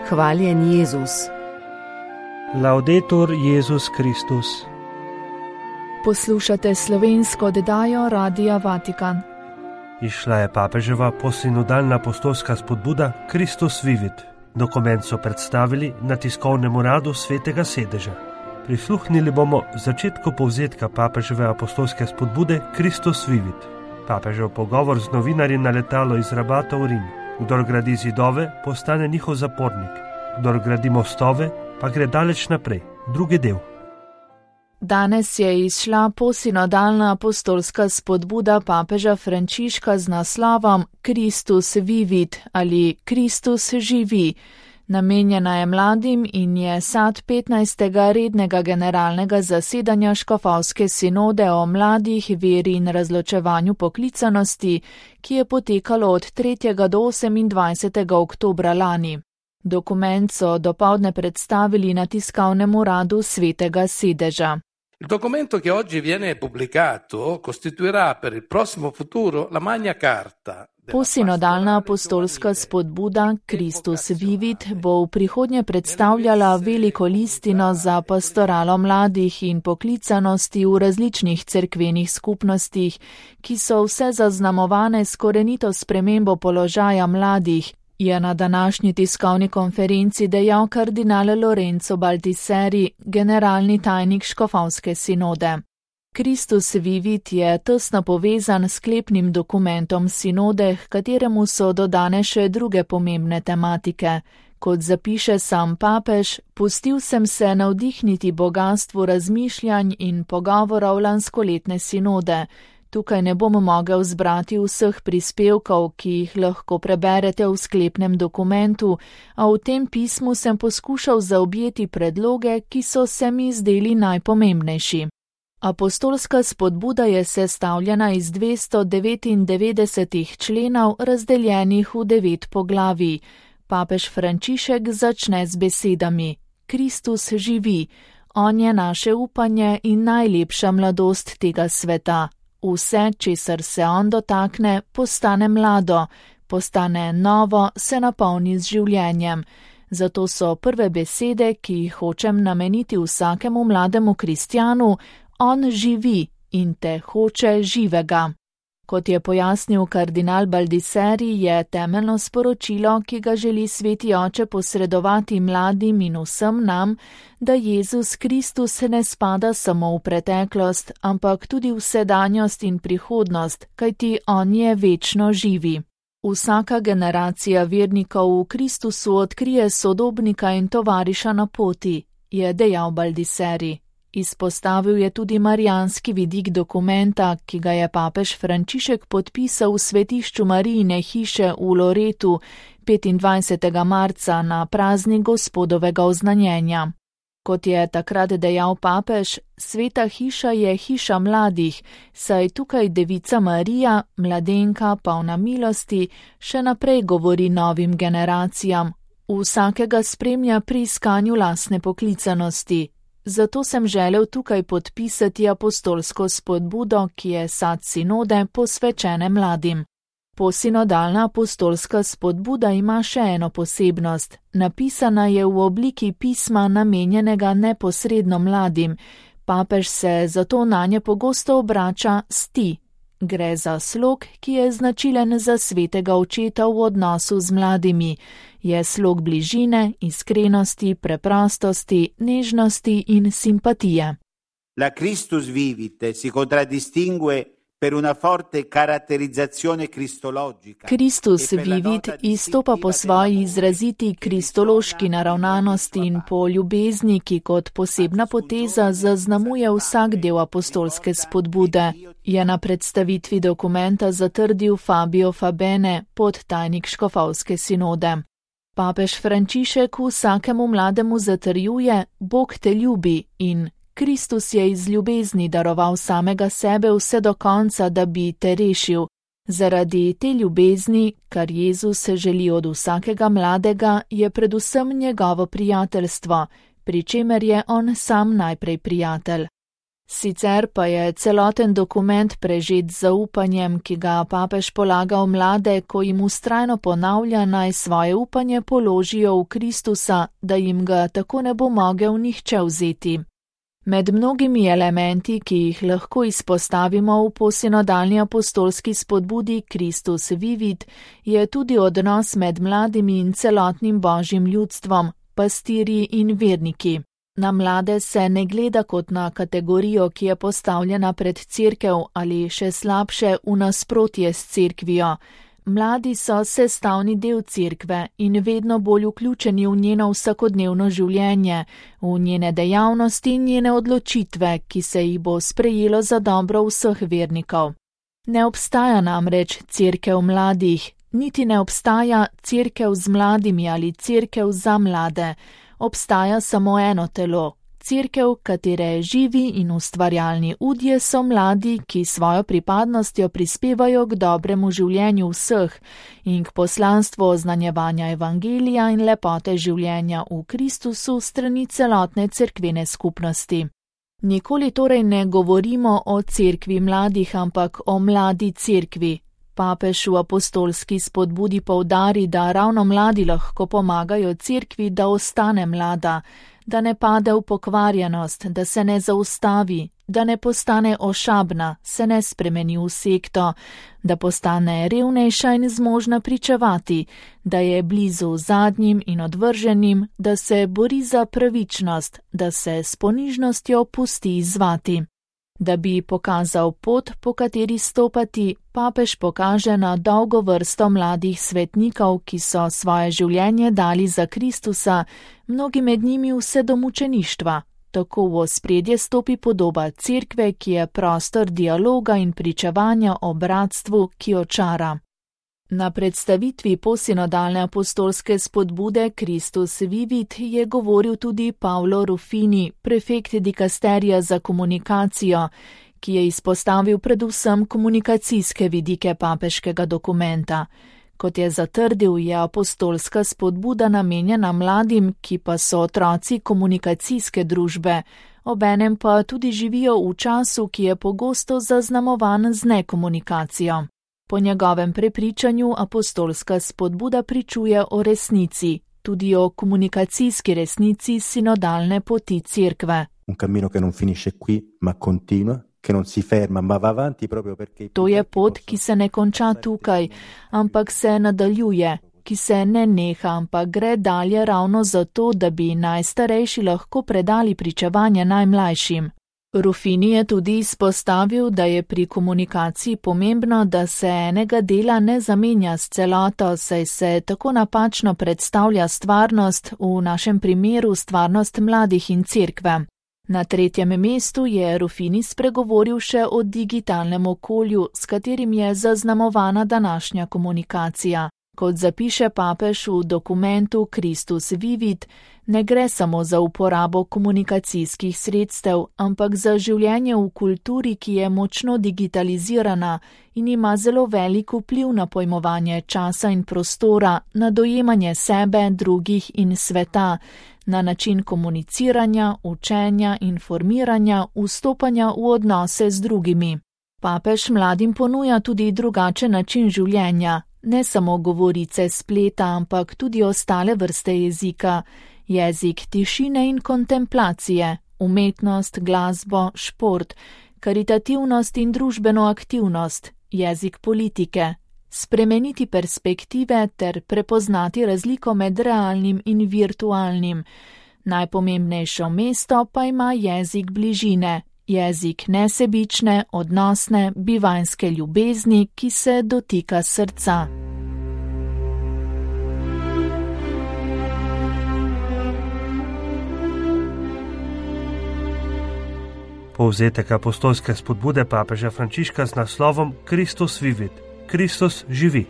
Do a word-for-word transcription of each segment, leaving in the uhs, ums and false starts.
Hvaljen Jezus. Laudetur Jezus Kristus. Poslušate slovensko oddajo Radia Vatikan. Išla je papeževa posinodalna apostolska spodbuda Christus Vivit. Dokument so predstavili na tiskovnem uradu Svetega sedeža. Prisluhnili bomo začetku povzetka papeževe apostolske spodbude Christus Vivit. Papežev pogovor z novinarji na letalo iz Rabata v Rim. Kdor gradi zidove, postane njihov zapornik. Kdor gradi mostove, pa gre daleč naprej. Drugi del. Danes je izšla posinodalna apostolska spodbuda papeža Frančiška z naslovom Christus Vivit ali Kristus živi. Namenjena je mladim in je sad petnajstega rednega generalnega zasedanja škofovske sinode o mladih, veri in razločevanju poklicanosti, ki je potekalo od tretjega do osemindvajsetega oktobra lani. Dokument so dopoldne predstavili na tiskovnem uradu Svetega sedeža. Il documento che oggi viene pubblicato costituirà per il prossimo futuro la Magna Carta. Posinodalna apostolska spodbuda Christus Vivit bo v prihodnje predstavljala veliko listino za pastoralo mladih in poklicanosti v različnih cerkvenih skupnostih, ki so vse zaznamovane s korenito spremembo položaja mladih, je na današnji tiskovni konferenci dejal kardinal Lorenzo Baldisseri, generalni tajnik škofovske sinode. Christus Vivit je tesno povezan s sklepnim dokumentom sinode, h kateremu so dodane še druge pomembne tematike. Kot zapiše sam papež, pustil sem se navdihniti bogastvu razmišljanj in pogovorov lanskoletne sinode. Tukaj ne bom mogel zbrati vseh prispevkov, ki jih lahko preberete v sklepnem dokumentu, a v tem pismu sem poskušal zaobjeti predloge, ki so se mi zdeli najpomembnejši. Apostolska spodbuda je sestavljena iz dvesto devetindevetdeset členov, razdeljenih v devet poglavij. Papež Frančišek začne z besedami: Kristus živi, on je naše upanje in najlepša mladost tega sveta. Vse, česar se on dotakne, postane mlado, postane novo, se napolni z življenjem. Zato so prve besede, ki jih hočem nameniti vsakemu mlademu kristjanu: on živi in te hoče živega. Kot je pojasnil kardinal Baldisseri, je temeljno sporočilo, ki ga želi Sveti Oče posredovati mladim in vsem nam, da Jezus Kristus ne spada samo v preteklost, ampak tudi v sedanjost in prihodnost, kajti on je večno živi. Vsaka generacija vernikov v Kristusu odkrije sodobnika in tovariša na poti, je dejal Baldisseri. Izpostavil je tudi marijanski vidik dokumenta, ki ga je papež Frančišek podpisal v svetišču Marijine hiše v Loretu petindvajsetega marca na praznik Gospodovega oznanjenja. Kot je takrat dejal papež, sveta hiša je hiša mladih, saj tukaj Devica Marija, mladenka polna milosti, še naprej govori novim generacijam, vsakega spremlja pri iskanju lastne poklicanosti. Zato sem želel tukaj podpisati apostolsko spodbudo, ki je sad sinode posvečene mladim. Posinodalna apostolska spodbuda ima še eno posebnost. Napisana je v obliki pisma namenjenega neposredno mladim. Papež se zato nanje pogosto obrača s ti. Gre za slog, ki je značilen za svetega očeta v odnosu z mladimi. Je slog bližine, iskrenosti, preprostosti, nežnosti in simpatije. La Christus Vivit si contraddistingue per una forte caratterizzazione cristologica. Kristus Vivit izstopa po svoji izraziti kristološki naravnanosti in po ljubezni, ki kot posebna poteza zaznamuje vsak del apostolske spodbude, je na predstavitvi dokumenta zatrdil Fabio Fabene, podtajnik škofovske sinode. Papež Frančišek vsakemu mlademu zatrjuje: Bog te ljubi in Kristus je iz ljubezni daroval samega sebe vse do konca, da bi te rešil. Zaradi te ljubezni, kar Jezus želi od vsakega mladega, je predvsem njegovo prijateljstvo, pri čemer je on sam najprej prijatelj. Sicer pa je celoten dokument prežet z zaupanjem, ki ga papež polaga v mlade, ko jim vztrajno ponavlja, naj svoje upanje položijo v Kristusa, da jim ga tako ne bo mogel nihče vzeti. Med mnogimi elementi, ki jih lahko izpostavimo v posinodalni apostolski spodbudi Kristus Vivit, je tudi odnos med mladimi in celotnim božjim ljudstvom, pastirji in verniki. Na mlade se ne gleda kot na kategorijo, ki je postavljena pred cerkev ali še slabše v nasprotje s cerkvijo. Mladi so sestavni del cerkve in vedno bolj vključeni v njeno vsakodnevno življenje, v njene dejavnosti in njene odločitve, ki se jih bo sprejelo za dobro vseh vernikov. Ne obstaja namreč cerkev mladih, niti ne obstaja cerkev z mladimi ali cerkev za mlade. Obstaja samo eno telo, cerkev, katere živi in ustvarjalni udje so mladi, ki svojo pripadnostjo prispevajo k dobremu življenju vseh in k poslanstvu oznanjevanja evangelija in lepote življenja v Kristusu strani celotne cerkvene skupnosti. Nikoli torej ne govorimo o cerkvi mladih, ampak o mladi cerkvi. Papež v apostolski spodbudi poudari, da ravno mladi lahko pomagajo cerkvi, da ostane mlada, da ne pade v pokvarjenost, da se ne zaustavi, da ne postane ošabna, se ne spremeni v sekto, da postane revnejša in zmožna pričevati, da je blizu zadnjim in odvrženim, da se bori za pravičnost, da se s ponižnostjo pusti izzvati. Da bi pokazal pot, po kateri stopati, papež pokaže na dolgo vrsto mladih svetnikov, ki so svoje življenje dali za Kristusa, mnogi med njimi vse do mučeništva. Tako v ospredje stopi podoba cerkve, ki je prostor dialoga in pričevanja o bratstvu, ki očara. Na predstavitvi posinodalne apostolske spodbude Kristus Vivit je govoril tudi Paolo Rufini, prefekt dikasterija za komunikacijo, ki je izpostavil predvsem komunikacijske vidike papeškega dokumenta. Kot je zatrdil, je apostolska spodbuda namenjena mladim, ki pa so otroci komunikacijske družbe, obenem pa tudi živijo v času, ki je pogosto zaznamovan z nekomunikacijo. Po njegovem prepričanju apostolska spodbuda pričuje o resnici, tudi o komunikacijski resnici sinodalne poti cerkve. Un cammino che non finisce qui, ma continua, che non si ferma, ma va avanti proprio perché... To je pot, ki se ne konča tukaj, ampak se nadaljuje, ki se ne neha, ampak gre dalje ravno zato, da bi najstarejši lahko predali pričevanje najmlajšim. Rufini je tudi izpostavil, da je pri komunikaciji pomembno, da se enega dela ne zamenja s celoto, saj se tako napačno predstavlja stvarnost, v našem primeru stvarnost mladih in cerkve. Na tretjem mestu je Rufini spregovoril še o digitalnem okolju, s katerim je zaznamovana današnja komunikacija. Kot zapiše papež v dokumentu Kristus Vivit, ne gre samo za uporabo komunikacijskih sredstev, ampak za življenje v kulturi, ki je močno digitalizirana in ima zelo velik vpliv na pojmovanje časa in prostora, na dojemanje sebe, drugih in sveta, na način komuniciranja, učenja, informiranja, vstopanja v odnose z drugimi. Papež mladim ponuja tudi drugačen način življenja. Ne samo govorice spleta, ampak tudi ostale vrste jezika, jezik tišine in kontemplacije, umetnost, glasbo, šport, karitativnost in družbeno aktivnost, jezik politike, spremeniti perspektive ter prepoznati razliko med realnim in virtualnim. Najpomembnejšo mesto pa ima jezik bližine. Jezik nesebične, odnosne, bivanjske ljubezni, ki se dotika srca. Povzetek apostolske spodbude papeža Frančiška z naslovom Kristus Vivit. Kristus živi.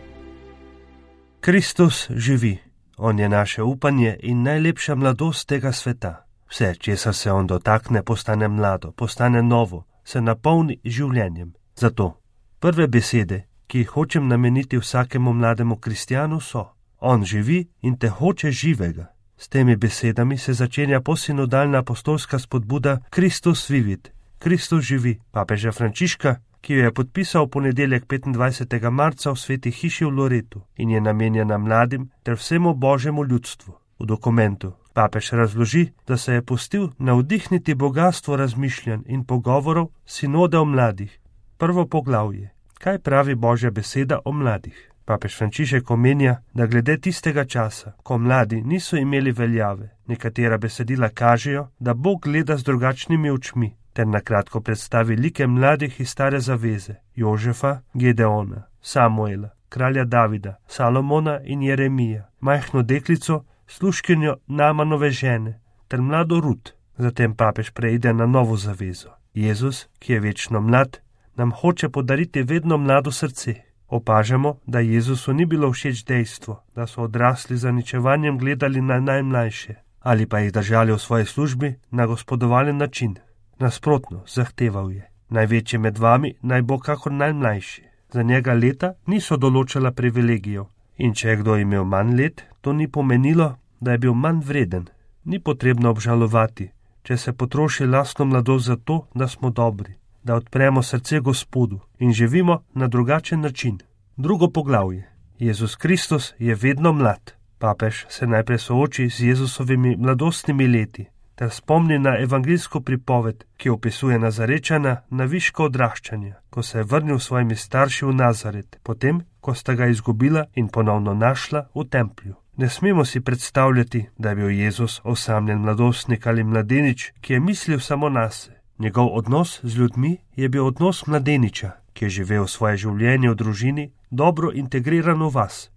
Kristus živi. On je naše upanje in najlepša mladost tega sveta. Vse, česar se on dotakne, postane mlado, postane novo, se napolni življenjem. Zato prve besede, ki jih hočem nameniti vsakemu mlademu kristjanu, so: on živi in te hoče živega. S temi besedami se začenja posinodalna apostolska spodbuda Kristus Vivit, Kristus živi papeža Frančiška, ki jo je podpisal v ponedeljek petindvajsetega marca v Sveti hiši v Loretu in je namenjena mladim ter vsemu božjemu ljudstvu. V dokumentu papež razloži, da se je pustil navdihniti bogastvo razmišljanj in pogovorov sinode o mladih. Prvo poglavje. Kaj pravi Božja beseda o mladih? Papež Frančišek omenja, da glede tistega časa, ko mladi niso imeli veljave, nekatera besedila kažejo, da Bog gleda z drugačnimi očmi, ter nakratko predstavi like mladih iz Stare zaveze, Jožefa, Gedeona, Samuela, kralja Davida, Salomona in Jeremija, majhno deklico, služkinjo Namanove žene, ter mlado Rut. Zatem papež preide na novo zavezo. Jezus, ki je večno mlad, nam hoče podariti vedno mlado srce. Opažamo, da Jezusu ni bilo všeč dejstvo, da so odrasli z zaničevanjem gledali na najmlajše ali pa jih držali v svoji službi na gospodovalen način. Nasprotno, zahteval je: največji med vami naj bo kakor najmlajši. Za njega leta niso določala privilegijev in če je kdo imel manj let, to ni pomenilo, da je bil manj vreden. Ni potrebno obžalovati, če se potroši lastno mladost za to, da smo dobri, da odpremo srce Gospodu in živimo na drugačen način. Drugo poglavje. Jezus Kristus je vedno mlad. Papež se najprej sooči z Jezusovimi mladostnimi leti ter spomni na evangeljsko pripoved, ki opisuje Nazarečana na viško odraščanja, ko se je vrnil s svojimi starši v Nazaret, potem, ko sta ga izgubila in ponovno našla v templju. Ne smemo si predstavljati, da je bil Jezus osamljen mladostnik ali mladenič, ki je mislil samo nase. Njegov odnos z ljudmi je bil odnos mladeniča, ki je živel svoje življenje v družini, dobro integriran v vas.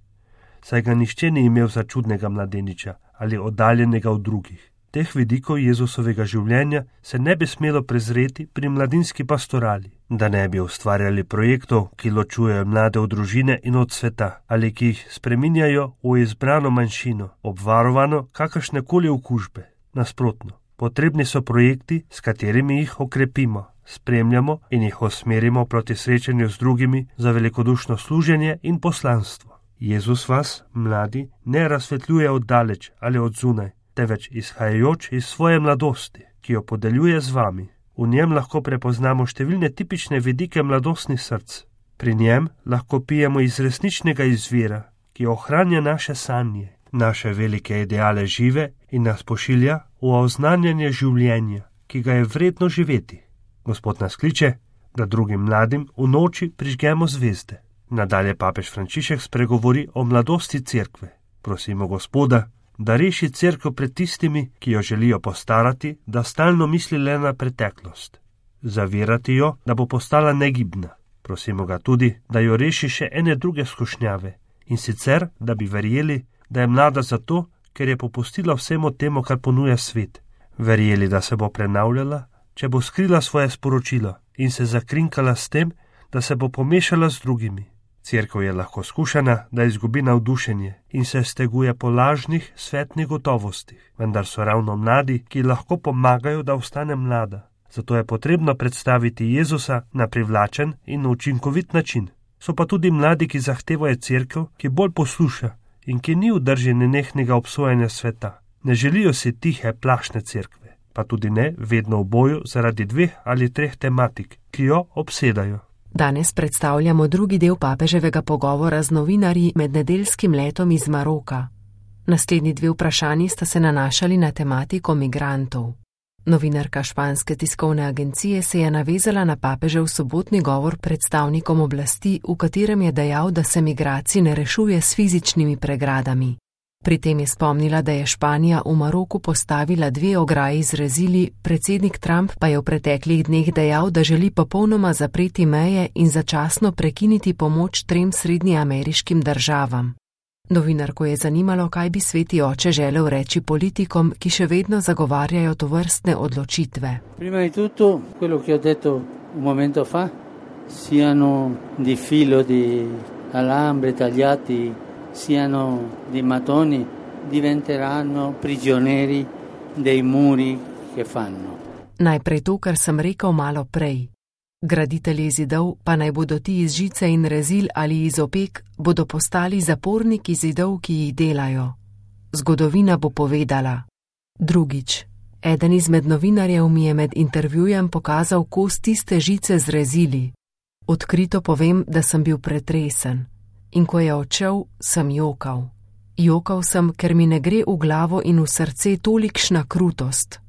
Saj ga nihče ni imel za čudnega mladeniča ali oddaljenega od drugih. Teh vidikov Jezusovega življenja se ne bi smelo prezreti pri mladinski pastorali, da ne bi ustvarjali projektov, ki ločujejo mlade od družine in od sveta, ali ki jih spreminjajo v izbrano manjšino, obvarovano kakršnekoli okužbe. Nasprotno, potrebni so projekti, s katerimi jih okrepimo, spremljamo in jih usmerimo proti srečanju z drugimi za velikodušno služenje in poslanstvo. Jezus vas, mladi, ne razsvetljuje od daleč ali od zunaj, teveč izhajajoč iz svoje mladosti, ki jo podeljuje z vami. V njem lahko prepoznamo številne tipične vidike mladostnih src. Pri njem lahko pijemo iz resničnega izvira, ki ohranja naše sanje, naše velike ideale žive in nas pošilja v oznanjanje življenja, ki ga je vredno živeti. Gospod nas kliče, da drugim mladim v noči prižgemo zvezde. Nadalje papež Frančišek spregovori o mladosti cerkve. Prosimo Gospoda, da reši cerkev pred tistimi, ki jo želijo postarati, da stalno misli le na preteklost. Zavirati jo, da bo postala negibna. Prosimo ga tudi, da jo reši še ene druge skušnjave, in sicer, da bi verjeli, da je mlada zato, ker je popustila vsemu temu, kar ponuja svet. Verjeli, da se bo prenavljala, če bo skrila svoje sporočilo in se zakrinkala s tem, da se bo pomešala z drugimi. Cerkev je lahko skušana, da izgubi navdušenje in se steguje po lažnih svetnih gotovostih, vendar so ravno mladi, ki lahko pomagajo, da ostane mlada. Zato je potrebno predstaviti Jezusa na privlačen in učinkovit način. So pa tudi mladi, ki zahtevajo cerkev, ki bolj posluša in ki ni v drži nenehnega obsojanja sveta. Ne želijo si tihe, plašne cerkve, pa tudi ne vedno v boju zaradi dveh ali treh tematik, ki jo obsedajo. Danes predstavljamo drugi del papeževega pogovora z novinarji med nedeljskim letom iz Maroka. Naslednji dve vprašanji sta se nanašali na tematiko migrantov. Novinarka španske tiskovne agencije se je navezala na papežev sobotni govor predstavnikom oblasti, v katerem je dejal, da se migracij ne rešuje s fizičnimi pregradami. Pri tem je spomnila, da je Španija v Maroku postavila dve ograji z rezili, predsednik Trump pa je v preteklih dneh dejal, da želi popolnoma zapreti meje in začasno prekiniti pomoč trem srednjeameriškim državam. Novinarko je zanimalo, kaj bi sveti oče želel reči politikom, ki še vedno zagovarjajo tovrstne odločitve. Prima di tutto, quello che ho detto un momento fa, siano di filo di alambre tagliati, siano di mattoni, diventeranno prigionieri dei muri che fanno. Najprej to, kar sem rekel malo prej. Graditelji zidov, pa naj bodo ti iz žice in rezil ali iz opek, bodo postali zaporniki zidov, ki jih delajo. Zgodovina bo povedala. Drugič, Eden izmed novinarjev mi je med intervjujem pokazal kos tiste žice z rezili. Odkrito povem, da sem bil pretresen. In ko je odšel, sem jokal. Jokal sem, ker mi ne gre v glavo in v srce tolikšna krutost.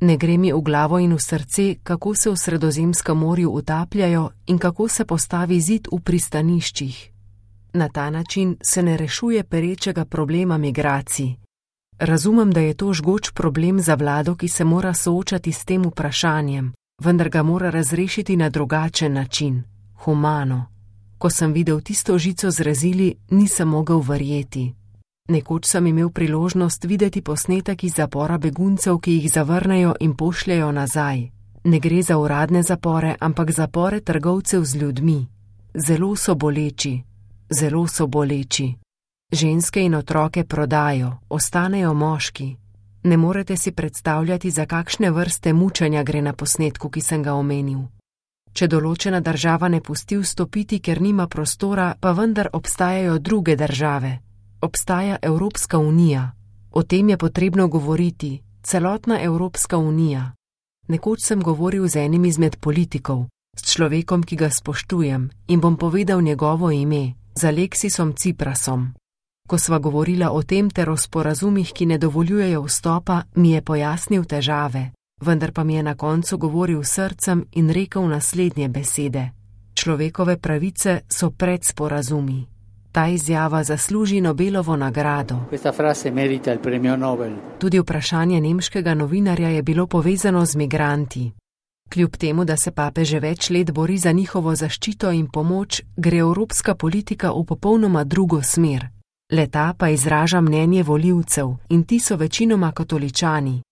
Ne gre mi v glavo in v srce, kako se v Sredozemskem morju utapljajo in kako se postavi zid v pristaniščih. Na ta način se ne rešuje perečega problema migracij. Razumem, da je to žgoč problem za vlado, ki se mora soočati s tem vprašanjem, vendar ga mora razrešiti na drugačen način, humano. Ko sem videl tisto žico z rezili, nisem mogel verjeti. Nekoč sem imel priložnost videti posnetek iz zapora beguncev, ki jih zavrnejo in pošljajo nazaj. Ne gre za uradne zapore, ampak zapore trgovcev z ljudmi. Zelo so boleči, zelo so boleči. Ženske in otroke prodajo, ostanejo moški. Ne morete si predstavljati, za kakšne vrste mučenja gre na posnetku, ki sem ga omenil. Če določena država ne pusti vstopiti, ker nima prostora, pa vendar obstajajo druge države. Obstaja Evropska unija. O tem je potrebno govoriti, celotna Evropska unija. Nekoč sem govoril z enim izmed politikov, s človekom, ki ga spoštujem, in bom povedal njegovo ime, z Aleksisom Tsiprasom. Ko sva govorila o tem ter o sporazumih, ki ne dovoljujejo vstopa, mi je pojasnil težave, vendar pa mi je na koncu govoril srcem in rekel naslednje besede. Človekove pravice so pred sporazumi. Ta izjava zasluži Nobelovo nagrado. Tudi vprašanje nemškega novinarja je bilo povezano z migranti. Kljub temu, da se papež že več let bori za njihovo zaščito in pomoč, gre evropska politika v popolnoma drugo smer. Leta pa izraža mnenje volivcev in ti so večinoma katoličani.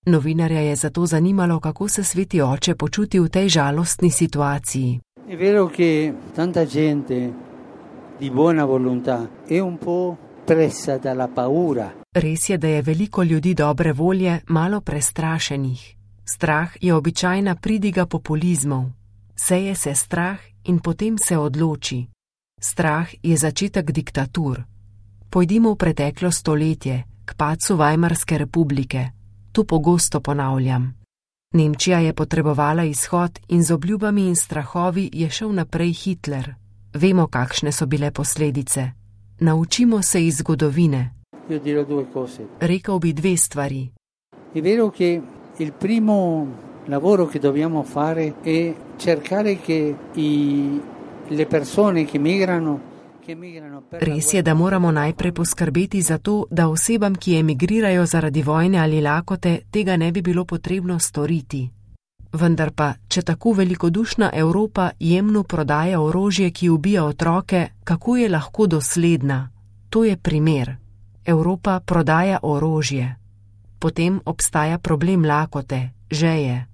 Novinarja je zato zanimalo, kako se sveti oče počuti v tej žalostni situaciji. Je vero, che tanta gente di buona volontà è un po' presa dalla paura. Res je, da je veliko ljudi dobre volje malo prestrašenih. Strah je običajna pridiga populizmov. Seje se strah in potem se odloči. Strah je začetek diktatur. Pojdimo v preteklo stoletje, k padcu Weimarske republike. Tu pogosto ponavljam. Nemčija je potrebovala izhod in z obljubami in strahovi je šel naprej Hitler. Vemo, kakšne so bile posledice. Naučimo se iz zgodovine. Rekel bi dve stvari. Je vero, che il primo lavoro che dobbiamo fare è cercare che i, le persone che migrano Res je, da moramo najprej poskrbeti za to, da osebam, ki emigrirajo zaradi vojne ali lakote, tega ne bi bilo potrebno storiti. Vendar pa, če tako velikodušna Evropa jemnu prodaja orožje, ki ubija otroke, kako je lahko dosledna? To je primer. Evropa prodaja orožje. Potem obstaja problem lakote, žeje.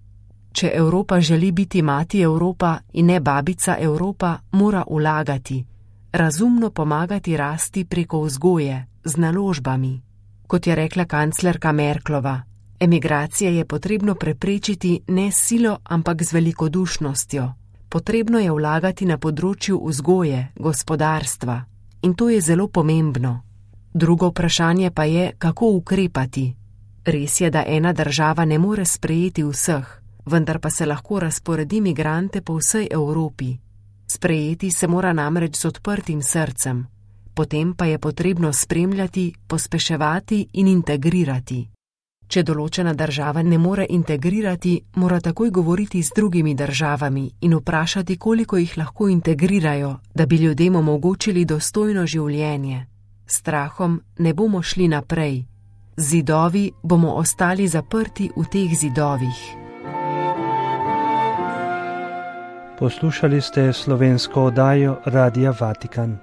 Če Evropa želi biti mati Evropa in ne babica Evropa, mora vlagati. Razumno pomagati rasti preko vzgoje, z naložbami. Kot je rekla kanclerka Merklova, emigracije je potrebno preprečiti ne s silo, ampak z velikodušnostjo. Potrebno je vlagati na področju vzgoje, gospodarstva. In to je zelo pomembno. Drugo vprašanje pa je, kako ukrepati. Res je, da ena država ne more sprejeti vseh, vendar pa se lahko razporedi migrante po vsej Evropi. Sprejeti se mora namreč z odprtim srcem, potem pa je potrebno spremljati, pospeševati in integrirati. Če določena država ne more integrirati, mora takoj govoriti z drugimi državami in vprašati, koliko jih lahko integrirajo, da bi ljudem omogočili dostojno življenje. S strahom ne bomo šli naprej. Zidovi bomo ostali zaprti v teh zidovih. Poslušali ste slovensko oddajo Radia Vatikan.